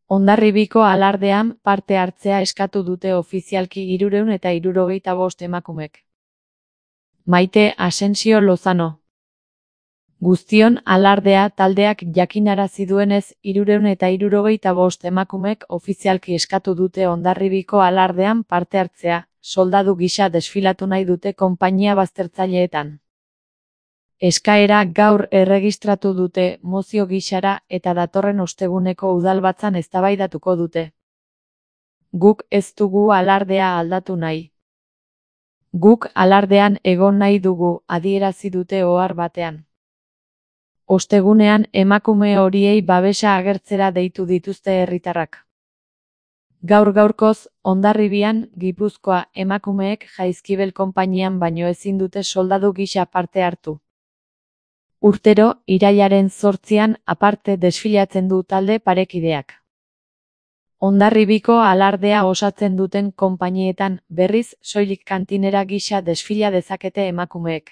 Hondarribiko alardean parte hartzea eskatu dute ofizialki 375 emakumek. Maite Asensio Lozano. Guztion alardea taldeak jakinarazi duenez 375 emakumek ofizialki eskatu dute Hondarribiko alardean parte hartzea, soldadu gisa desfilatu nahi dute konpainia baztertzaileetan. Eskaera gaur erregistratu dute mozio gisara eta datorren osteguneko udalbatzan eztabaidatuko dute. Guk ez dugu alardea aldatu nahi. Guk alardean egon nahi dugu, adierazi dute ohar batean. Ostegunean emakume horiei babesa agertzera deitu dituzte herritarrak. Gaur-gaurkoz, Hondarribian, Gipuzkoa, emakumeek Jaizkibel konpainian baino ezin dute soldadu gisa parte hartu. Urtero, irailaren 8an aparte desfilatzen du talde parekideak. Hondarribiko alardea osatzen duten konpainietan, berriz, soilik kantinera gisa desfila dezakete emakumeek.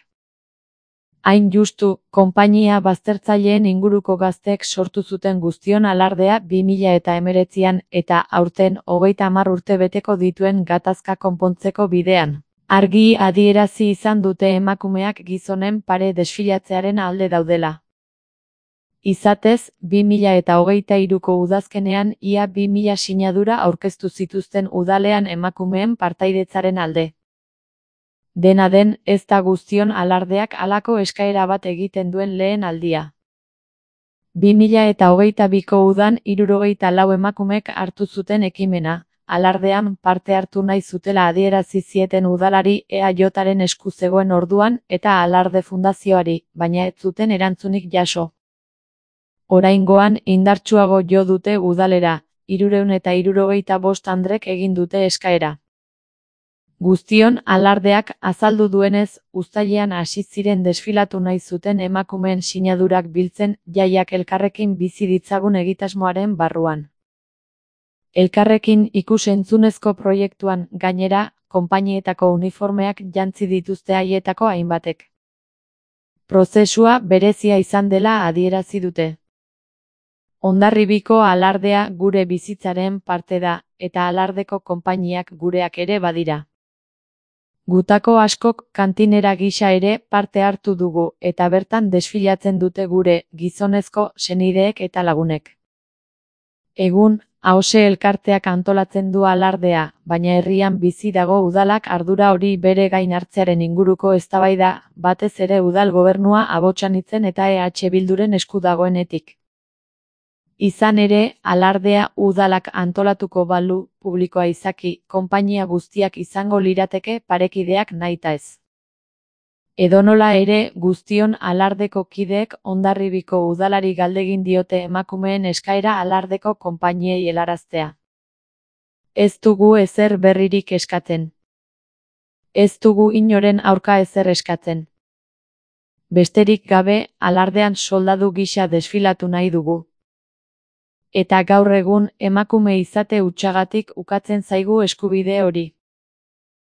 Hain justu, konpainia baztertzaileen inguruko gazteek sortu zuten guztion alardea 2019an eta aurten 30 urte beteko dituen gatazka konpontzeko bidean. Argi adierazi izan dute emakumeak gizonen pare desfilatzearen alde daudela. Izatez, 2023ko udazkenean ia 2000 sinadura aurkeztu zituzten udalean emakumeen partaidetzaren alde. Dena den, ez da guztion alardeak halako eskaera bat egiten duen lehen aldia. 2022ko udan 74 emakumek hartu zuten ekimena. Alardean parte hartu nahi zutela adierazi zieten udalari EAJaren esku zegoen orduan eta Alarde Fundazioari, baina ez zuten erantzunik jaso. Oraingoan indartsuago jo dute udalera, 375 andrek egin dute eskaera. Guztion alardeak azaldu duenez, uztailean hasi ziren desfilatu nahi zuten emakumeen sinadurak biltzen jaiak elkarrekin bizi ditzagun egitasmoaren barruan. Elkarrekin ikus-entzunezko proiektuan, gainera, konpainietako uniformeak jantzi dituzte haietako hainbatek. Prozesua berezia izan dela adierazi dute. Hondarribiko alardea gure bizitzaren parte da, eta alardeko konpainiak gureak ere badira. Gutako askok kantinera gisa ere parte hartu dugu, eta bertan desfilatzen dute gure gizonezko senideek eta lagunek. Egun, Ahose elkarteak antolatzen du alardea, baina herrian bizi dago udalak ardura hori bere gain hartzearen inguruko eztabaida, batez ere udal gobernua abotsanitzen eta EH Bilduren esku dagoenetik. Izan ere, alardea udalak antolatuko balu, publikoa izaki, konpainia guztiak izango lirateke parekideak nahita ez. Edonola ere, guztion alardeko kideek Hondarribiko udalari galdegin diote emakumeen eskaera alardeko konpainiei helaraztea. Ez dugu ezer berririk eskatzen. Ez dugu inoren aurka ezer eskatzen. Besterik gabe, alardean soldadu gisa desfilatu nahi dugu. Eta gaur egun, emakume izate hutsagatik ukatzen zaigu eskubide hori.